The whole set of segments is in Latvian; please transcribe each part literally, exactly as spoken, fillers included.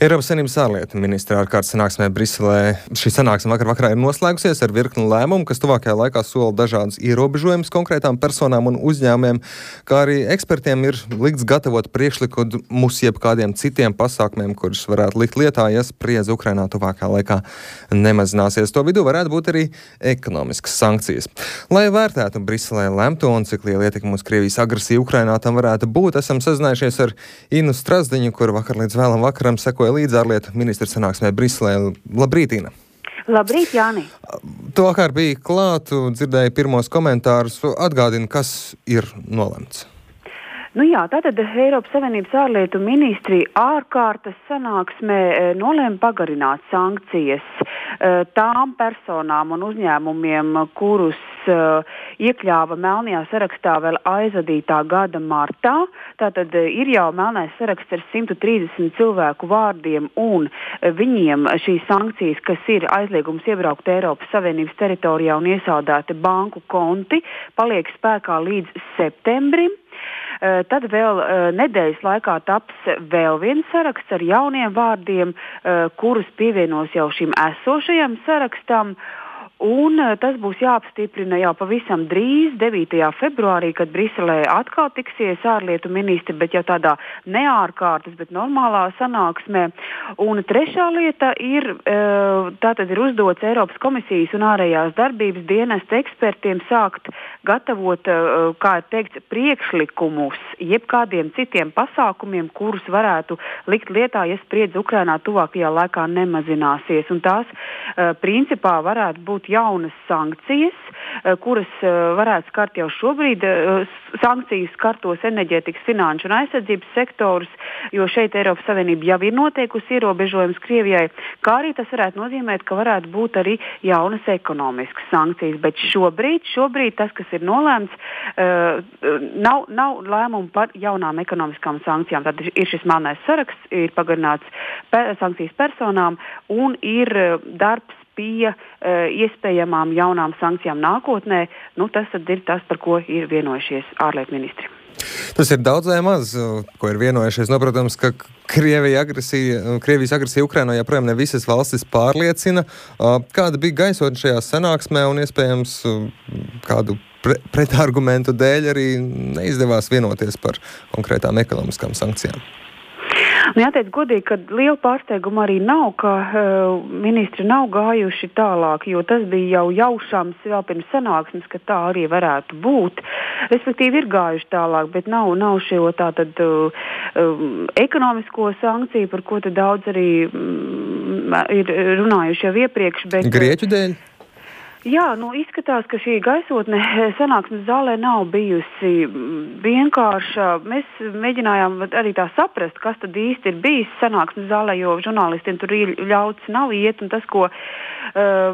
Eiropas Savienības ārlietu ministra ārkārtas sanāksmē Briselē. Šī sanāksme vakar vakarā ir noslēgusies ar virkni lēmumu, kas tuvākajā laikā sola dažādas ierobežojumus konkrētām personām un uzņēmumiem, kā arī ekspertiem ir likts gatavot priekšlikumus jebkādiem citiem pasākumiem, kurus varētu likt lietā, ja spriedze Ukrainā tuvākajā laikā nemazināsies. To vidū varētu būt arī ekonomiskas sankcijas. Lai vērtētu Briselē lemto un cik liela ietekme uz Krievijas agresiju Ukrainā tam varētu būt, esam sazinājušies ar Innu Strazdiņu, kur vakar līdz vēlam vakaram sekoja līdz ārlietu ministra sanāksmē Briselē. Labrīt, Ina! Labrīt, Jāni! Tu vakar biji klāt, dzirdēji pirmos komentārus. Atgādini, kas ir nolemts. Nu jā, tātad Eiropas Savienības ārlietu ministri ārkārtas sanāksmē nolēma pagarināt sankcijas tām personām un uzņēmumiem, kurus iekļāva melnajā sarakstā vēl aizvadītā gada martā. Tātad ir jau melnais saraksts ar simt trīsdesmit cilvēku vārdiem, un viņiem šīs sankcijas, kas ir aizliegums iebraukt Eiropas Savienības teritorijā un iesaldēti banku konti, paliek spēkā līdz septembrim. Tad vēl nedēļas laikā taps vēl viens saraksts ar jauniem vārdiem, kurus pievienos jau šim esošajam sarakstam. Un tas būs jāapstiprina jau pavisam drīz, devītajā februārī, kad Briselē atkal tiksies ārlietu ministri, bet jau tādā neārkārtas, bet normālā sanāksmē. Un trešā lieta ir, tātad ir uzdots Eiropas komisijas un ārējās darbības dienesta ekspertiem sākt gatavot, kā ir teikts, priekšlikumus jebkādiem citiem pasākumiem, kurus varētu likt lietā, ja spriedze Ukrainā tuvākajā laikā nemazināsies. Un tās principā varētu būt jaunas sankcijas, kuras varētu skart jau šobrīd. Sankcijas skartos enerģētikas, finanšu un aizsardzības sektorus, jo šeit Eiropas Savienība jau ir noteikusi ierobežojums Krievijai, kā arī tas varētu nozīmēt, ka varētu būt arī jaunas ekonomiskas sankcijas. Bet šobrīd, šobrīd tas, kas ir nolēmts, nav, nav lēmumu par jaunām ekonomiskām sankcijām. Tad ir šis melnais saraksts, ir pagarināts per, sankcijas personām un ir darbs pie uh, iespējamām jaunām sankcijām nākotnē. Nu, tas tad ir tas, par ko ir vienojušies ārlietu ministri. Tas ir daudz vai maz, ko ir vienojušies. No, protams, ka Krievija agresija, Krievijas agresija Ukrainā joprojām ne visas valstis pārliecina. Uh, kāda bija gaisotne šajā sanāksmē un iespējams uh, kādu pre pretargumentu dēļ arī neizdevās vienoties par konkrētām ekonomiskām sankcijām? Nu, jāteic godīgi, ka liela pārsteiguma arī nav, ka uh, ministri nav gājuši tālāk, jo tas bija jau jaušams vēl pirms sanāksmes, ka tā arī varētu būt. Respektīvi ir gājuši tālāk, bet nav, nav šo tātad uh, um, ekonomisko sankciju, par ko te daudz arī um, ir runājuši jau iepriekš. Bet, Grieķu dēļ? Jā, nu izskatās, ka šī gaisotne sanāksmes zālē nav bijusi vienkārša. Mēs mēģinājām arī tā saprast, kas tad īsti ir bijis sanāksmes zālē, jo žurnālistiem tur ļauts nav iet, un tas, ko uh,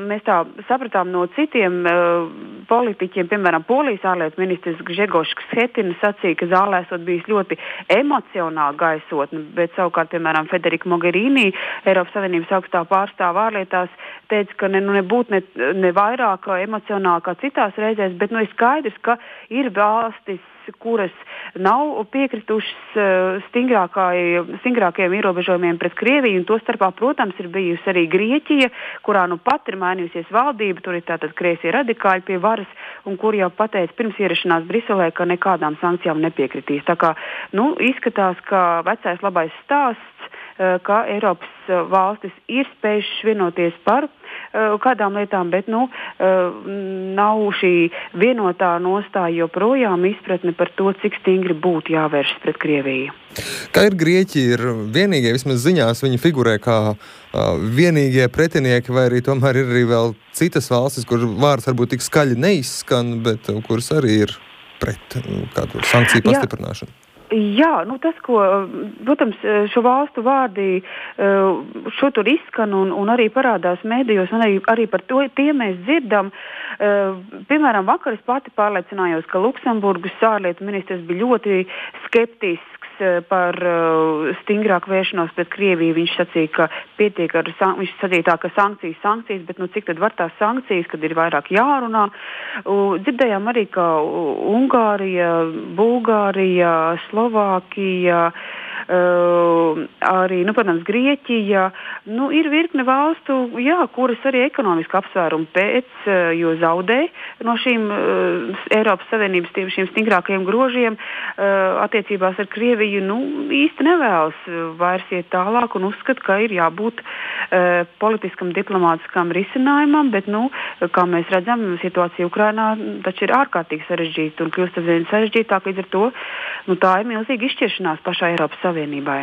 mēs tā sapratām no citiem uh, politiķiem, piemēram, Polijas ārlietu ministrs Grzegorz Schetina sacīja, ka zālē esot bijis ļoti emocionāli gaisotne, bet savukārt, piemēram, Federica Mogherini, Eiropas Savienības augstā pārstāva ārlietās, teica, ka ne, nu, nebūt ne, ne vairāk emocionāli kā citās reizēs, bet nu, ir skaidrs, ka ir valstis, kuras nav piekritušas uh, stingrākajiem ierobežojumiem pret Krieviju, un to starpā, protams, ir bijusi arī Grieķija, kurā nu pat ir mainījusies valdība, tur ir tātad kreisie radikāļi pie varas, un kur jau pateica pirms ierašanās Briselē, ka nekādām sankcijām nepiekritīs. Tā kā, nu, izskatās, ka vecais labais stāsts, uh, ka Eiropas uh, valstis ir spējušas vienoties par kādām lietām, bet nu, nav šī vienotā nostāja joprojām izpratne par to, cik stingri būtu jāvēršas pret Krieviju. Kā ir Grieķi, ir vienīgie, vismaz ziņās viņi figurē kā uh, vienīgie pretinieki, vai arī tomēr ir arī vēl citas valstis, kur vārds varbūt tik skaļi neizskan, bet uh, kuras arī ir pret uh, kādu sankciju pastiprināšanu? Jā. Jā, nu tas, ko, protams, šo valstu vārdi šo tur izskan un, un arī parādās mēdījos, un arī, arī par to tie mēs dzirdam. Piemēram, vakar es pati pārliecinājos, ka Luksemburgas ārlietu ministrs bija ļoti skeptisks par uh, stingrāku vēršanos pret Krieviju. Viņš sacīja, ka pietiek ar, viņš sacīja tā, ka sankcijas, sankcijas, bet nu cik tad var tās sankcijas, kad ir vairāk jārunā. Uh, dzirdējām arī, ka Ungārija, Bulgārija, Slovākija, uh, arī, nu, protams, Grieķija. Nu, ir virkne valstu, jā, kuras arī ekonomiski apsvērumi pēc, uh, jo zaudē no šīm uh, Eiropas Savienības tiem, šiem stingrākajiem grožiem uh, attiecībās ar Krieviju, nu, īsti nevēlas vairs iet tālāk un uzskata, ka ir jābūt uh, politiskam, diplomātiskam risinājumam, bet, nu, kā mēs redzam, situācija Ukrainā taču ir ārkārtīgi sarežģīta un kļūst aizvien sarežģītāk, līdz ar to, nu, tā ir milzīga izšķiršanās pašā Eiropas Savienībai.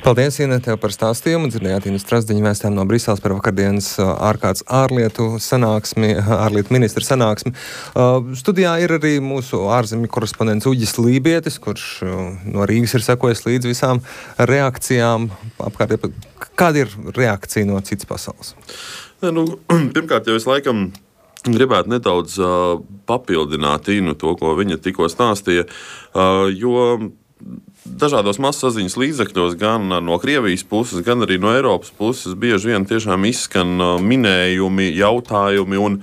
Paldies, Ina, tev par stāstījumu. Dzirdējāt Ina Strazdiņa vēstām no Briseles par vakardienas ārkārtas ārlietu sanāksmi, ārlietu ministra sanāksmi. Uh, studijā ir arī mūsu ārzemju korespondents Uģis Lībietis, kurš uh, no Rīgas ir sekojis līdz visām reakcijām. Apkārt, kāda ir reakcija no citas pasaules? Ne, nu, pirmkārt, jau es laikam gribētu nedaudz uh, papildināt Inu to, ko viņa tikko stāstīja, uh, jo dažādos masasaziņas līdzekļos, gan no Krievijas puses, gan arī no Eiropas puses, bieži vien tiešām izskan minējumi, jautājumi un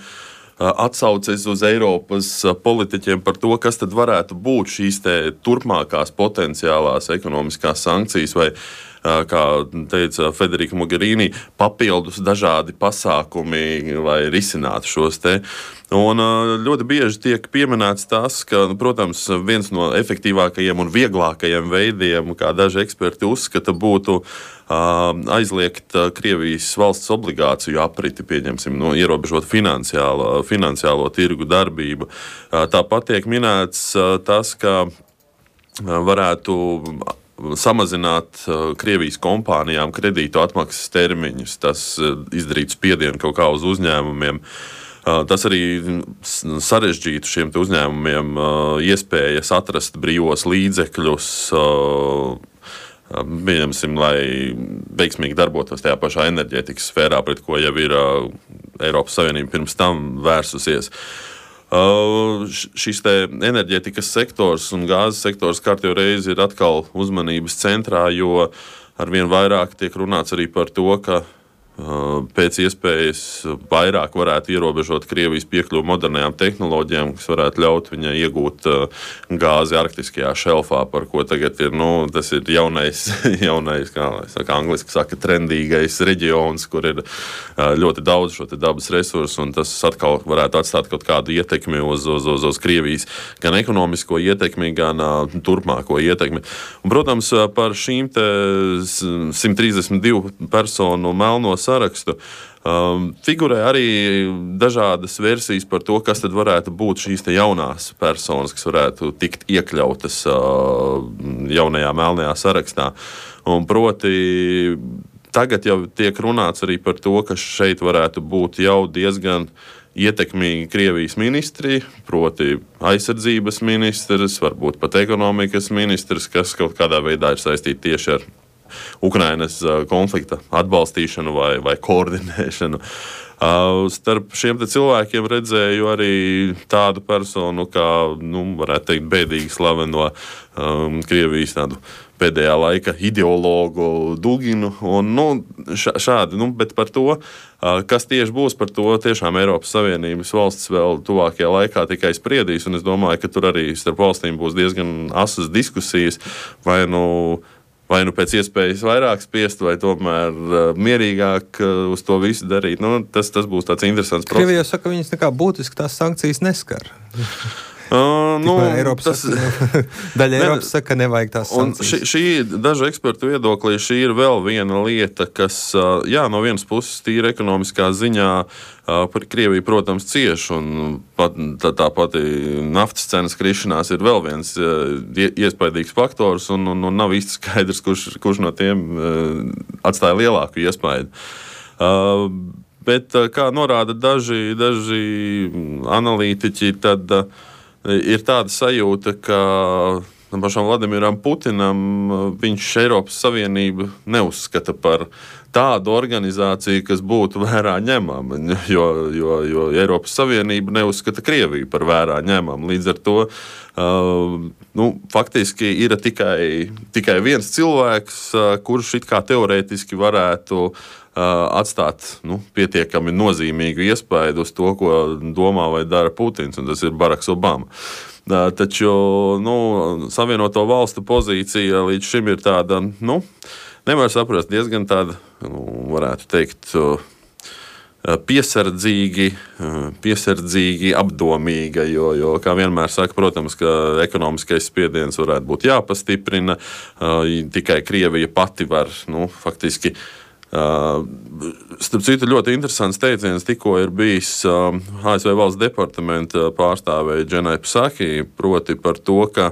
atsauces uz Eiropas politiķiem par to, kas tad varētu būt šīs te turpmākās potenciālās ekonomiskās sankcijas vai, kā teica Federica Mogherini, papildus dažādi pasākumi, lai risinātu šos te. Un ļoti bieži tiek pieminēts tas, ka, protams, viens no efektīvākajiem un vieglākajiem veidiem, kā daži eksperti uzskata, būtu aizliegt Krievijas valsts obligāciju apriti, pieņemsim, no ierobežot finansiālo, finansiālo tirgu darbību. Tāpat tiek minēts tas, ka varētu samazināt Krievijas kompānijām kredītu atmaksas termiņus, tas izdarītu spiedienu kaut kā uz uzņēmumiem. Tas arī sarežģītu šiem uzņēmumiem iespējas atrast brīvos līdzekļus, pieņemsim, lai veiksmīgi darbotos tajā pašā enerģētikas sfērā, pret ko jau ir Eiropas Savienība pirms tam vērsusies. Uh, šis te enerģētikas sektors un gāzes sektors kārtējo reizi ir atkal uzmanības centrā, jo arvien vairāk tiek runāts arī par to, ka uh, pēc iespējas vairāk varētu ierobežot Krievijas piekļuvu modernajām tehnoloģijām, kas varētu ļaut viņai iegūt uh, gāzi arktiskajā šelfā, par ko tagad ir, nu, tas ir jaunais, jaunais, kā saka, angliski saka, trendīgais reģions, kur ir uh, ļoti daudz šo te dabas resursu, un tas atkal varētu atstāt kaut kādu ietekmi uz, uz, uz, uz Krievijas gan ekonomisko ietekmi, gan uh, turpmāko ietekmi. Un, protams, par šīm te simt trīsdesmit divu personu melno sarakstu Um, figurē arī dažādas versijas par to, kas tad varētu būt šīs te jaunās personas, kas varētu tikt iekļautas uh, jaunajā melnajā sarakstā. Un proti, tagad jau tiek runāts arī par to, ka šeit varētu būt jau diezgan ietekmīgi Krievijas ministri, proti aizsardzības ministrs, varbūt pat ekonomikas ministrs, kas kaut kādā veidā ir saistīti tieši ar Ukrainas konflikta atbalstīšanu vai, vai koordinēšanu. Uh, starp šiem te cilvēkiem redzēju arī tādu personu, kā, nu, varētu teikt, bēdīgi slaveno um, Krievijas tādu pēdējā laika ideologu Duginu. Un, nu, šādi, nu, bet par to, uh, kas tieši būs, par to tiešām Eiropas Savienības valsts vēl tuvākajā laikā tikai spriedīs. Un es domāju, ka tur arī starp valstīm būs diezgan asas diskusijas, vai nu Vai nu pēc iespējas vairāk spiest, vai tomēr uh, mierīgāk uh, uz to visu darīt. Nu, tas, tas būs tāds interesants process. Krievija saka, ka viņas nekā būtiski tās sankcijas neskar. Uh, nu, Eiropas tas, saka, daļa Eiropas saka, ka nevajag tās sankcijas. Šī, šī dažu ekspertu viedoklī šī ir vēl viena lieta, kas, uh, jā, no vienas puses tīra ekonomiskā ziņā uh, par Krieviju, protams, cieš, un pat, tā, tā pati naftas cenas krišanās ir vēl viens uh, iespaidīgs faktors, un, un, un nav īsti skaidrs, kurš, kurš no tiem uh, atstāja lielāku iespaidu. Uh, bet, uh, kā norāda daži, daži analītiķi, tad uh, ir tāda sajūta, ka pašam Vladimiram Putinam viņš Eiropas Savienību neuzskata par tādu organizāciju, kas būtu vērā ņemama, jo, jo, jo Eiropas Savienība neuzskata Krieviju par vērā ņemamu. Līdz ar to uh, nu, faktiski ir tikai, tikai viens cilvēks, kurš it kā teorētiski varētu atstāt nu, pietiekami nozīmīgu iespaidu uz to, ko domā vai dara Putins, un tas ir Baraks Obama. Taču nu, Savienoto valstu pozīcija līdz šim ir tāda, nu, nevar saprast, diezgan tāda, nu, varētu teikt, piesardzīgi, piesardzīgi apdomīga, jo, jo, kā vienmēr saka, protams, ka ekonomiskais spiediens varētu būt jāpastiprina, tikai Krievija pati var, nu, faktiski. Starp citu, ļoti interesants teiciens tikko ir bijis A S V valsts departamenta pārstāvēja Dženai Psaki, proti par to, ka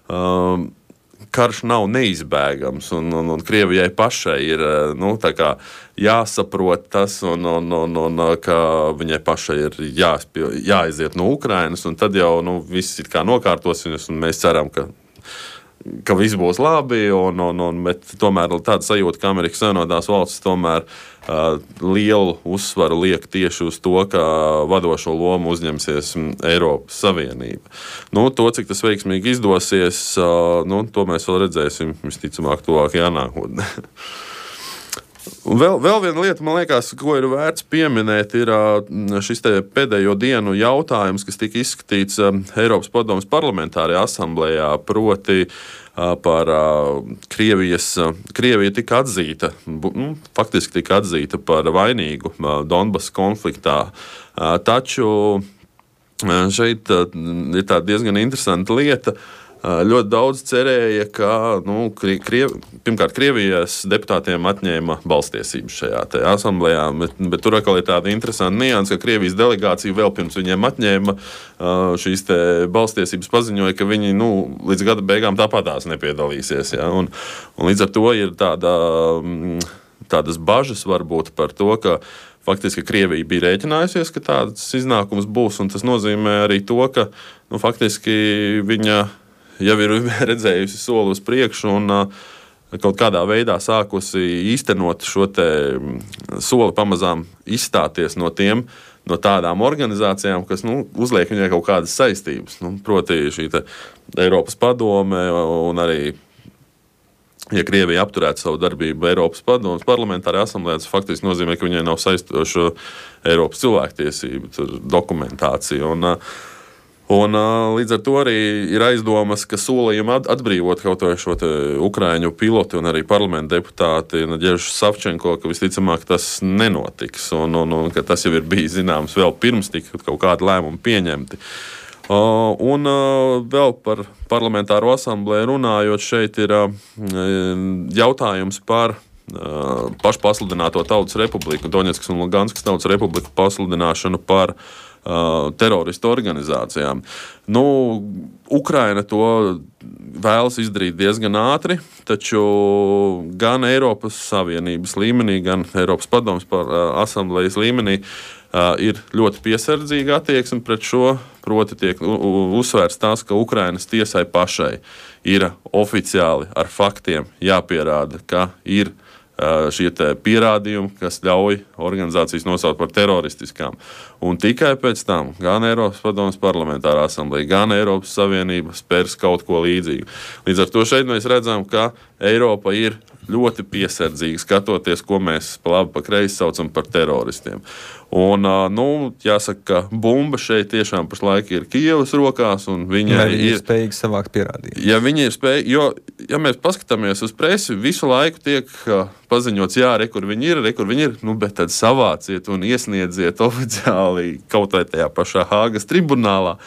um, karš nav neizbēgams, un, un, un Krievijai pašai ir nu, tā kā jāsaprot tas, un, un, un, un ka viņai pašai ir jāspie, jāaiziet no Ukrainas, un tad jau nu, viss it kā nokārtosies, un mēs ceram, ka ka viss būs labi, un, un, un, bet tomēr tāda sajūta, ka Amerikas Savienotās valstis tomēr uh, lielu uzsvaru liek tieši uz to, ka vadošo lomu uzņemsies Eiropas Savienība. Nu, to, cik tas veiksmīgi izdosies, uh, nu, to mēs vēl redzēsim visticamāk tuvākajā nākotnē. Un vēl, vēl viena lieta, man liekas, ko ir vērts pieminēt, ir šis te pēdējo dienu jautājums, kas tika izskatīts Eiropas padomes parlamentārajā asamblējā, proti par Krievijas, Krievija tika atzīta, nu, faktiski tika atzīta par vainīgu Donbas konfliktā. Taču šeit ir tā diezgan interesanta lieta. Ļoti daudz cerēja, ka nu, Kriev, pirmkārt Krievijas deputātiem atņēma balstiesības šajā asamblējā, bet, bet tur atkal ir tāda interesanta nianse, ka Krievijas delegācija vēl pirms viņiem atņēma šīs te balstiesības paziņoja, ka viņi nu, līdz gada beigām tāpatās nepiedalīsies. Ja? Un, un līdz ar to ir tāda, tādas bažas varbūt par to, ka faktiski Krievija bija rēķinājusies, ka tāds iznākums būs, un tas nozīmē arī to, ka nu, faktiski viņa jau ir redzējusi soli uz priekšu un uh, kaut kādā veidā sākusi īstenot šo te soli pamazām izstāties no tiem, no tādām organizācijām, kas nu, uzliek viņai kaut kādas saistības. Nu, proti šī te Eiropas padome un arī, ja Krievija apturētu savu darbību Eiropas padomes parlamentārajā asamblējā, tas faktiski nozīmē, ka viņai nav saistoša Eiropas cilvēktiesību dokumentācija. Un, uh, Un, līdz ar to arī ir aizdomas, ka solījumi atbrīvot kaut vai šo ukraiņu pilotu un arī parlamenta deputāti Nadeždu Savčenko, ka visticamāk tas nenotiks un, un, un ka tas jau ir bijis zināms vēl pirms tika kaut kādi lēmumi pieņemti. Un vēl par parlamentāro asamblēju runājot, šeit ir jautājums par pašpasludināto Tautas Republiku, Doņetskas un Luganskas Tautas Republiku pasludināšanu par Uh, teroristu organizācijām. Nu, Ukraina to vēlas izdarīt diezgan ātri, taču gan Eiropas Savienības līmenī, gan Eiropas padomes par, uh, asamblējas līmenī uh, ir ļoti piesardzīga attieksme pret šo, proti tiek uzsvērts tas, ka Ukrainas tiesai pašai ir oficiāli ar faktiem jāpierāda, ka ir šie pierādījumi, kas ļauj organizācijas nosaukt par teroristiskām. Un tikai pēc tam gan Eiropas padomes parlamentārā asamblēja, gan Eiropas Savienība spērs kaut ko līdzīgu. Līdz ar to šeit mēs redzam, ka Eiropa ir ļoti piesardzīga skatoties, ko mēs pa labi pa kreisi saucam par teroristiem. Un, nu, jāsaka, ka bumba šeit tiešām pašlaik ir Kijevas rokās, un viņa Vai ir, ir spējīga savākt pierādījumus. Ja viņi ir spējīgi, jo, ja mēs paskatāmies uz presi, visu laiku tiek paziņots, jā, re, kur viņi ir, re, kur viņi ir, nu, bet tad savāciet un iesniedziet oficiāli kaut vai tajā pašā Hāgas tribunālā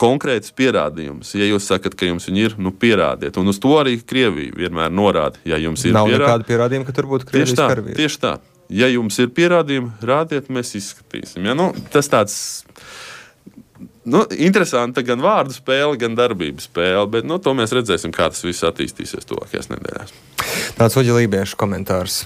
konkrētus pierādījumus. Ja jūs sakat, ka jums viņi ir, nu pierādiet. Un uz to arī Krievija vienmēr norāda. Ja jums ir Nav pierādi... nekāda pierādījuma, ka tur būtu Krievijas tieši tā, karavīri. tieši tā. Ja jums ir pierādījumi, rādiet, mēs izskatīsim. Ja, nu, tas tāds nu, interesanti gan vārdu spēle, gan darbības spēle, bet nu, to mēs redzēsim, kā tas viss attīstīsies tuvākajās nedēļās. Tāds Uģa Lībieša komentārs.